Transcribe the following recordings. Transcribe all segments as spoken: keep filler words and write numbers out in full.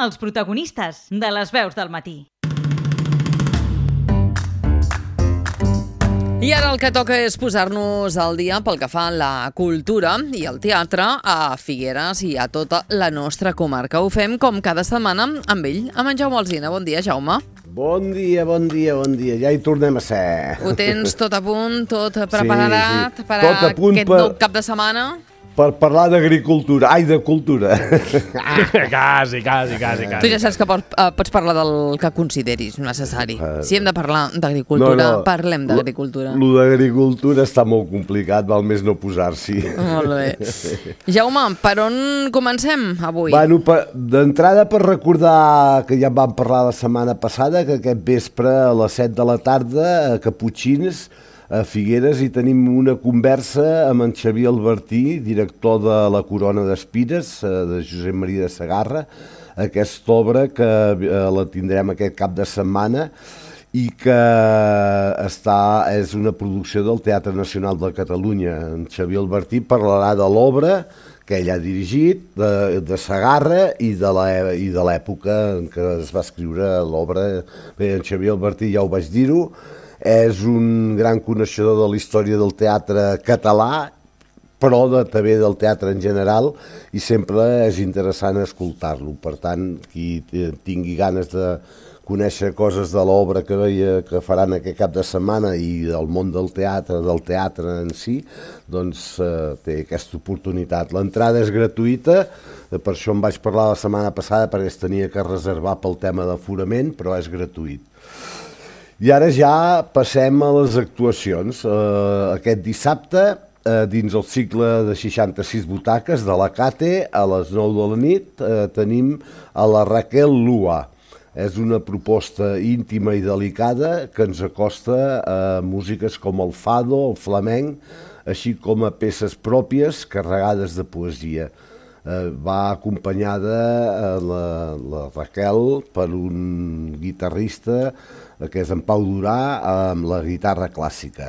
els protagonistes de les veus del matí. I ara el que toca és posar-nos al dia pel que fa a la cultura i el teatre a Figueres i a tota la nostra comarca. Ho fem com cada setmana amb ell, amb en Jaume Alsina. Bon dia, Jaume. Bon dia, bon dia, bon dia. Ja hi tornem a ser. Ho tens tot a punt, tot preparat sí, sí. per tot a punt aquest per... nou cap de setmana? Per parlar d'agricultura. Ai, de cultura. Quasi, quasi, quasi, quasi. Tu ja saps que pots, uh, pots parlar del que consideris necessari. Si hem de parlar d'agricultura, No, no. parlem d'agricultura. Lo d'agricultura està molt complicat, val més no posar-s'hi. Molt bé. Jaume, per on comencem avui? Bueno, per- d'entrada per recordar que ja en vam parlar la setmana passada, que aquest vespre a les set de la tarda a Caputxins, a Figueres, hi tenim una conversa amb en Xavier Albertí, director de La Corona d'Espines, eh, de Josep Maria de Segarra, aquesta obra que eh, la tindrem aquest cap de setmana i que està, és una producció del Teatre Nacional de Catalunya. En Xavier Albertí parlarà de l'obra que ell ha dirigit, de, de Segarra i de l'è- i de l'època en què es va escriure l'obra. Bé, en Xavier Albertí ja ho vaig dir-ho, és un gran coneixedor de la història del teatre català, però de, també del teatre en general, i sempre és interessant escoltar-lo. Per tant, qui tingui ganes de conèixer coses de l'obra que, veia, que faran aquest cap de setmana i del món del teatre, del teatre en si, doncs eh, té aquesta oportunitat. L'entrada és gratuïta, per això em vaig parlar la setmana passada, perquè es tenia que reservar pel tema d'aforament, però és gratuït. I ara ja passem a les actuacions. Eh, aquest dissabte, eh, dins el cicle de seixanta-sis butaques de la Cate, a les nou de la nit, eh, tenim a la Raquel Lua. És una proposta íntima i delicada que ens acosta a músiques com el fado, el flamenc, així com a peces pròpies carregades de poesia. Eh, va acompanyada eh, la, la Raquel per un guitarrista eh, que és en Pau Durà amb la guitarra clàssica.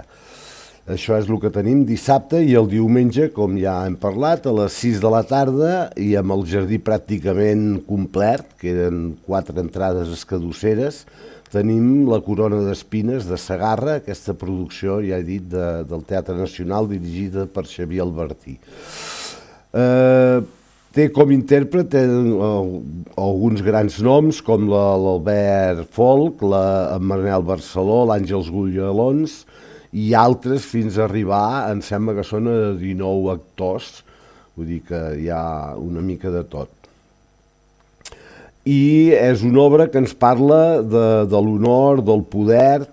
Això és el que tenim dissabte, i el diumenge, com ja hem parlat, a les sis de la tarda i amb el jardí pràcticament complet, queden quatre entrades escadusseres, tenim La Corona d'Espines de Segarra, aquesta producció, ja he dit, de, del Teatre Nacional dirigida per Xavier Albertí. Eh, té com intèrpret eh, alguns grans noms com la- l'Albert Folk, la, en Manel Barceló, l'Àngels Gullalons i altres, fins a arribar, em sembla que són a dinou actors, vull dir que hi ha una mica de tot. I és una obra que ens parla de, de l'honor, del poder,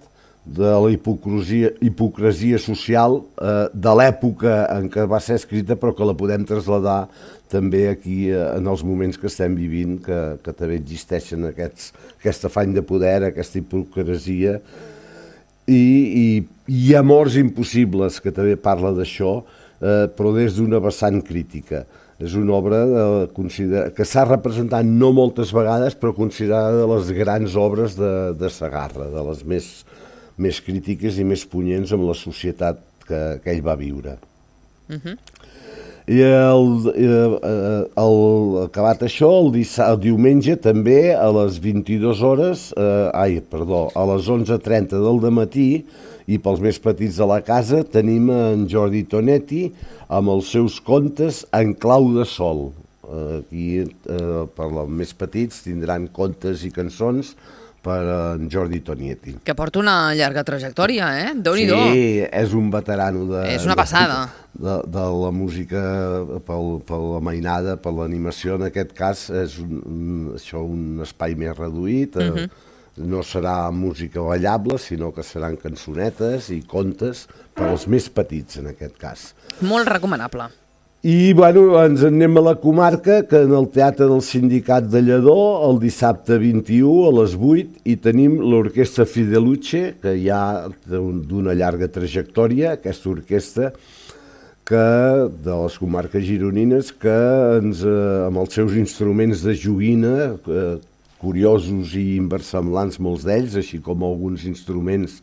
de la hipocresia, hipocresia social eh, de l'època en què va ser escrita, però que la podem traslladar també aquí eh, en els moments que estem vivint, que, que també existeixen aquests, aquest afany de poder, aquesta hipocresia i, i, i amors impossibles, que també parla d'això, eh, però des d'una vessant crítica. És una obra eh, considera- que s'ha representat no moltes vegades, però considerada de les grans obres de, de Segarra, de les més més crítiques i més punyents amb la societat que, que ell va viure. Uh-huh. I el, el, el, acabat això, el, dissa, el diumenge també a les vint-i-dues hores, eh, ai, perdó, a les onze trenta del dematí, i pels més petits de la casa tenim en Jordi Tonetti amb els seus contes en clau de sol. Eh, aquí, eh, per als més petits, tindran contes i cançons per en Jordi Tonietti. Que porta una llarga trajectòria, eh? Déu-n'hi-do. Sí, és un veterano de, És una passada. De, de, de la música pel, per la mainada, per l'animació. En aquest cas és un, un, això un espai més reduït. Uh -huh. No serà música ballable, sinó que seran cançonetes i contes per als més petits, en aquest cas. Molt recomanable. I, bueno, ens en anem a la comarca, que en el Teatre del Sindicat de Lledó, el dissabte vint-i-u a les vuit, hi tenim l'Orquestra Fideluce, que ja d'una llarga trajectòria, aquesta orquestra, que, de les comarques gironines, que ens, eh, amb els seus instruments de joguina, eh, curiosos i inversemblants molts d'ells, així com alguns instruments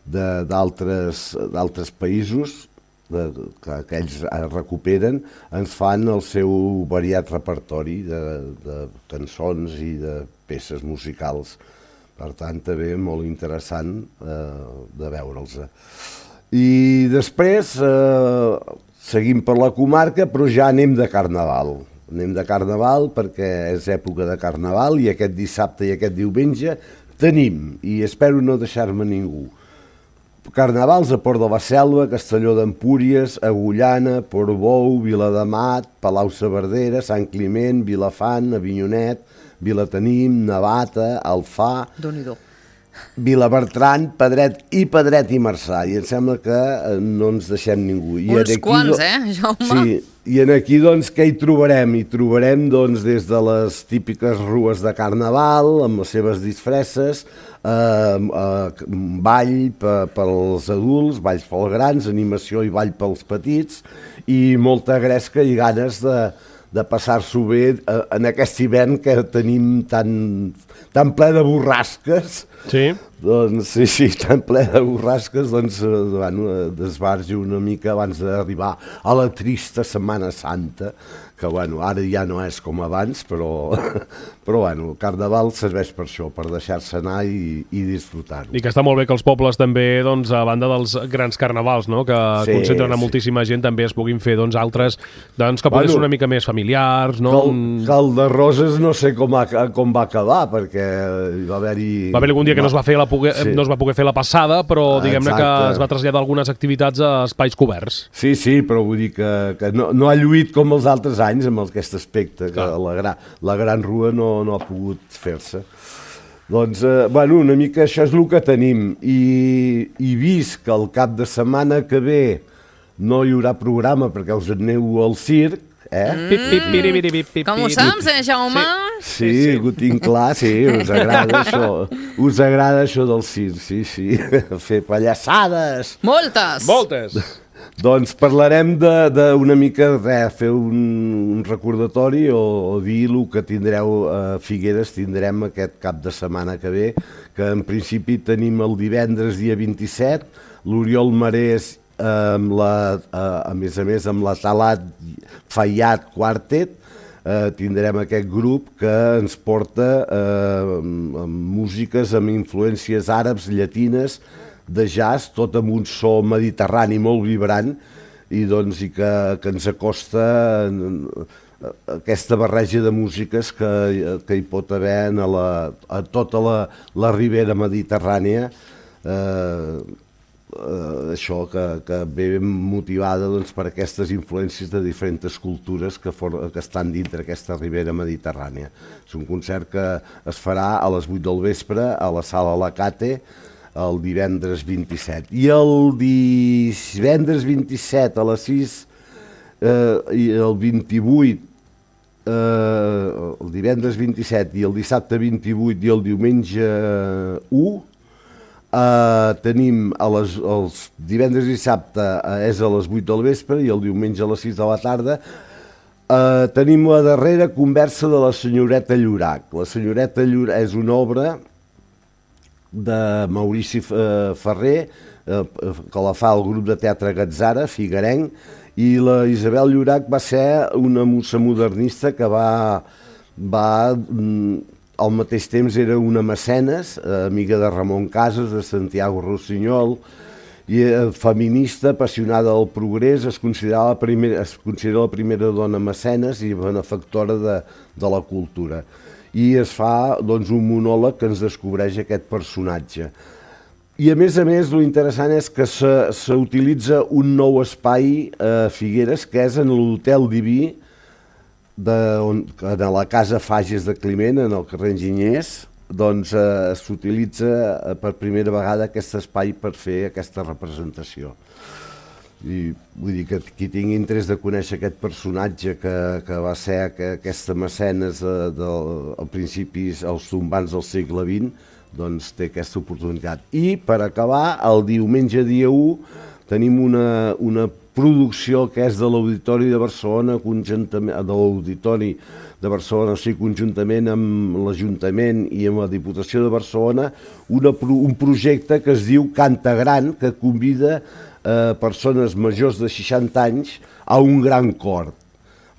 d'altres països, de, que, que ells recuperen, ens fan el seu variat repertori de, de cançons i de peces musicals. Per tant, també molt interessant eh, de veure'ls. I després eh, seguim per la comarca, però ja anem de carnaval. Anem de carnaval perquè és època de carnaval i aquest dissabte i aquest diumenge tenim, i espero no deixar-me ningú, carnavals a Port de la Selva, Castelló d'Empúries, Agullana, Portbou, Viladamat, Palau-saverdera, Sant Climent, Vilafant, Avinyonet, Vilatenim, Navata, Alfà, Déu-n'hi-do. Vilabertran, Pedret i Pedret i Marçà, i em sembla que no ens deixem ningú. I Uns aquí, quants, eh, Jaume? Sí, i en aquí, doncs, què hi trobarem? Hi trobarem, doncs, des de les típiques rues de carnaval, amb les seves disfresses, eh, eh, ball pels adults, balls pels grans, animació i ball pels petits, i molta gresca i ganes de, de passar-s'ho bé en aquest hivern que tenim tan, tan ple de borrasques. Sí. Doncs sí, sí, tan ple de borrasques, doncs bueno, desbargi una mica abans d'arribar a la trista Setmana Santa, que bueno, ara ja no és com abans, però, però bueno, el carnaval serveix per això, per deixar-se anar i, i disfrutar-ho. I que està molt bé que els pobles també, doncs, a banda dels grans carnavals, no?, que Sí, concentren a sí. moltíssima gent, també es puguin fer, doncs, altres, doncs, que poden Bueno, ser una mica més familiars, no? Que el, que el de Roses no sé com, ha, com va acabar, perquè hi va haver-hi... Va haver algun dia que no es va fer la poguer, Sí. no es va poder fer la passada, però diguem-ne que Exacte. es va traslladar algunes activitats a espais coberts. Sí, sí, però vull dir que, que no, no ha lluït com els altres anys amb aquest aspecte, que Clar. la, gra, la Gran Rua no, no ha pogut fer-se. Doncs, eh, bueno, una mica això és el que tenim. I, I vist que el cap de setmana que ve no hi haurà programa perquè us aneu al circ, eh? Pip, pip, piri, piri, pip, pip, Com ho pip. saps, eh, Jaume? Sí, sí, ho tinc clar, sí, us agrada això. Us agrada això del circ, sí, sí. Fer pallassades. Moltes! Moltes! Doncs parlarem d'una mica, res, fer un, un recordatori o, o dir el que tindreu a Figueres, tindrem aquest cap de setmana que ve, que en principi tenim el divendres dia vint-i-set, l'Oriol Marès, eh, amb la, eh, a més a més amb la Talat Fayad Quartet, eh, tindrem aquest grup que ens porta eh, amb, amb músiques amb influències àrabs, llatines, de jazz, tot amb un so mediterrani molt vibrant i, doncs, i que, que ens acosta aquesta barreja de músiques que, que hi pot haver a, la, a tota la, la ribera mediterrània, eh, eh, això que, que ve motivada, doncs, per aquestes influències de diferents cultures que, for, que estan dintre aquesta ribera mediterrània. És un concert que es farà a les vuit del vespre a la Sala Lacate, el divendres vint-i-set. I el divendres vint-i-set a les sis eh, i el vint-i-vuit, eh, el divendres vint-i-set i el dissabte vint-i-vuit i el diumenge u, eh, tenim a les, els divendres i dissabte eh, és a les vuit del vespre i el diumenge a les sis de la tarda. Eh, tenim la darrera conversa de la senyoreta Llorac. La senyoreta Llorac és una obra de Maurici Ferrer, eh, que la fa el grup de teatre Gatzara, figuerenc, i la Isabel Llorac va ser una musa modernista que va, va al mateix temps era una mecenes, eh, amiga de Ramon Casas, de Santiago Rossinyol, i eh, feminista, apassionada del progrés, es considera la primera, es considera la primera dona mecenes i benefactora de, de la cultura. I es fa, doncs, un monòleg que ens descobreix aquest personatge. I a més a més, l'interessant és que s'utilitza un nou espai a Figueres, que és en l'Hotel Diví, de, on, en la Casa Fages de Climent, en el carrer Enginyers, doncs eh, s'utilitza per primera vegada aquest espai per fer aquesta representació. I vull dir que qui tingui interès de conèixer aquest personatge que, que va ser que, aquesta mecenes de, de, al principis, als tombants del segle vint, doncs té aquesta oportunitat. I per acabar, el diumenge dia u tenim una, una producció que és de l'Auditori de Barcelona, conjuntament, de l'Auditori de Barcelona, o sigui, conjuntament amb l'Ajuntament i amb la Diputació de Barcelona, una, un projecte que es diu Canta Gran, que convida eh, persones majors de seixanta anys a un gran cor.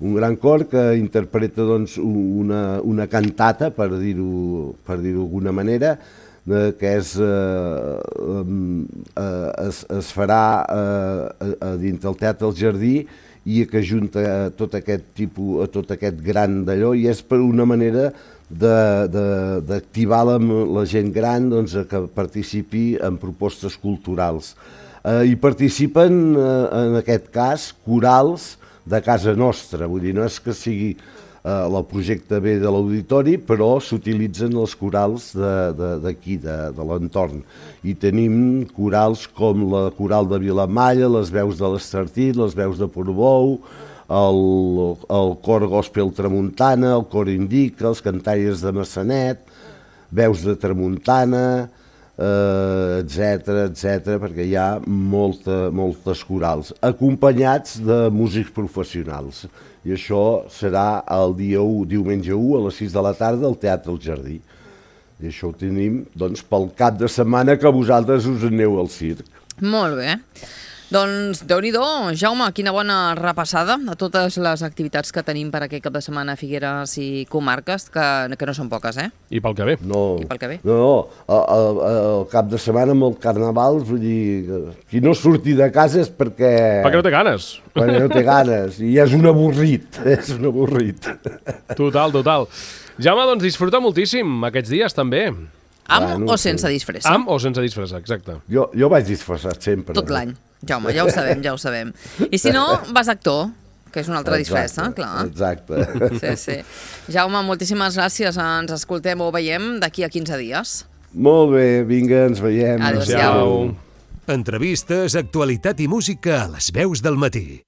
Un gran cor que interpreta doncs, una, una cantata, per dir-ho per dir-ho d'alguna manera, que és, eh, eh, es, es farà eh, a dins del Teatre El Jardí i que ajunta a tot aquest tipus, a tot aquest gran d'allò, i és per una manera d'activar la, la gent gran doncs, a que participi en propostes culturals. Eh, hi participen, eh, en aquest cas, corals de casa nostra, vull dir, no és que sigui el projecte ve de l'auditori, però s'utilitzen els corals d'aquí, de, de, de l'entorn. I tenim corals com la coral de Vilamalla, les veus de l'Estartit, les veus de Portbou, el, el cor gospel Tramuntana, el cor Indica, els cantaires de Massanet, veus de Tramuntana, eh, etcètera, etcètera, perquè hi ha molta, moltes corals, acompanyats de músics professionals. I això serà el dia u, diumenge u, a les sis de la tarda, al Teatre El Jardí. I això ho tenim, doncs, pel cap de setmana que vosaltres us aneu al circ. Molt bé. Doncs, Déu-n'hi-do, Jaume, quina bona repassada a totes les activitats que tenim per aquest cap de setmana a Figueres i comarques, que, que no són poques, eh? I pel que ve. No, I pel que ve. No, no, el, el cap de setmana amb el carnaval, vull dir, qui no surti de casa és perquè... Perquè no té ganes. Perquè no té ganes, i és un avorrit, és un avorrit. Total, total. Jaume, doncs disfruta moltíssim aquests dies, també. Amb Bueno, o sense sí. disfressa? Amb o sense disfressa, exacte. Jo, jo vaig disfressat sempre. Tot l'any. Jaume, ja ho sabem, ja ho sabem. I si no, vas actor, que és una altra disfressa, clar. Exacte. Sí, sí. Jaume, moltíssimes gràcies. Ens escoltem o veiem d'aquí a quinze dies. Molt bé, vinga, ens veiem. Adéu-siau. Adéu. Entrevistes, actualitat i música a les veus del matí.